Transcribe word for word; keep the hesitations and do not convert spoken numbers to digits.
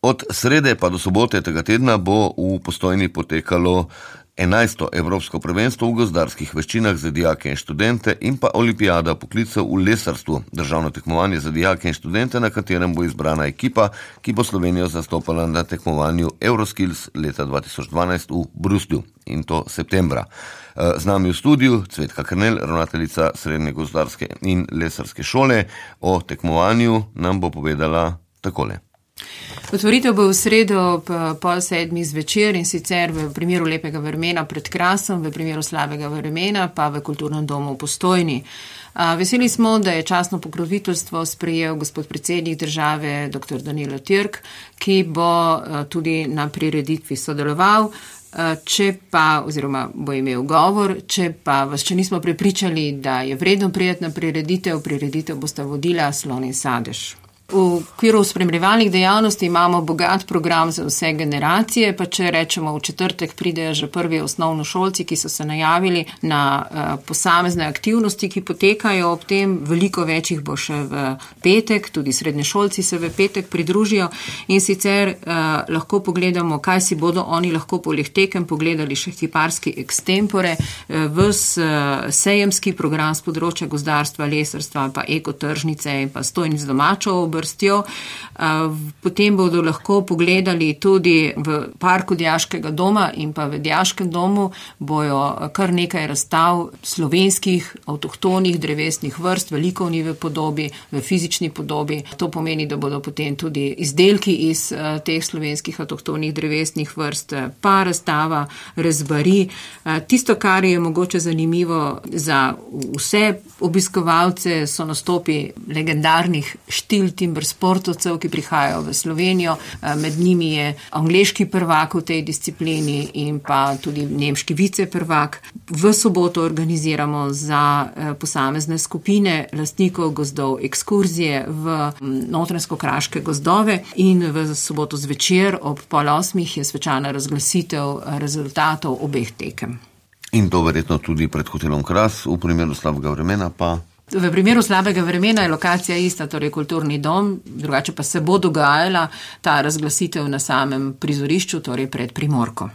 Od srede pa do sobote tega tedna bo v Postojni potekalo enajsto Evropsko prvenstvo v gozdarskih veščinah za dijake in študente in pa olimpijada poklicev v lesarstvu, državno tekmovanje za dijake in študente, na katerem bo izbrana ekipa, ki bo Slovenijo zastopala na tekmovanju Euroskills leta dva tisoč dvanajst v Bruslju, in to septembra. Z nami v studiu Cvetka Kernel, ravnateljica Srednje gozdarske in lesarske šole. O tekmovanju nam bo povedala takole. Otvoritev bo v sredo ob pol sedmih zvečer, in sicer v primeru lepega vremena pred Krasom, v primeru slabega vremena pa v Kulturnem domu v Postojni. Veseli smo, da je častno pokroviteljstvo sprejel gospod predsednik države dr. Danilo Türk, ki bo tudi na prireditvi sodeloval. Če pa, oziroma bo imel govor, če pa vas še nismo prepričali, da je vredno prijeti na prireditev, prireditev bosta vodila Slon in Sadež. V okviru spremljevalnih dejavnosti imamo bogat program za vse generacije, pa če rečemo v četrtek pridejo že prvi osnovnošolci, ki so se najavili na uh, posamezne aktivnosti, ki potekajo ob tem, veliko večjih bo še v petek, tudi srednješolci se v petek pridružijo, in sicer uh, lahko pogledamo, kaj si bodo oni lahko poleg tekem pogledali še kiparski extempore, uh, ves uh, sejemski program z področja gozdarstva, lesarstva, pa ekotržnice in pa stojnic domačo brstjo. Potem bodo lahko pogledali tudi v parku Dijaškega doma in pa v Dijaškem domu bojo kar nekaj razstav slovenskih avtohtonih drevesnih vrst, veliko v njive podobi, v fizični podobi. To pomeni, da bodo potem tudi izdelki iz teh slovenskih avtohtonih drevesnih vrst, pa razstava rezbari. Tisto, kar je mogoče zanimivo za vse obiskovalce, so nastopi legendarnih štil timber sportovcev, ki prihajajo v Slovenijo. Med njimi je angleški prvak v tej disciplini in pa tudi nemški viceprvak. V soboto organiziramo za posamezne skupine lastnikov gozdov ekskurzije v Notranjsko-kraške gozdove, in v soboto zvečer ob pol osmih je svečana razglasitev rezultatov obeh tekem. In to verjetno tudi pred hotelom Kras, v primeru slabega vremena pa... V primeru slabega vremena je lokacija ista, torej Kulturni dom, drugače pa se bo dogajala ta razglasitev na samem prizorišču, torej pred Primorko.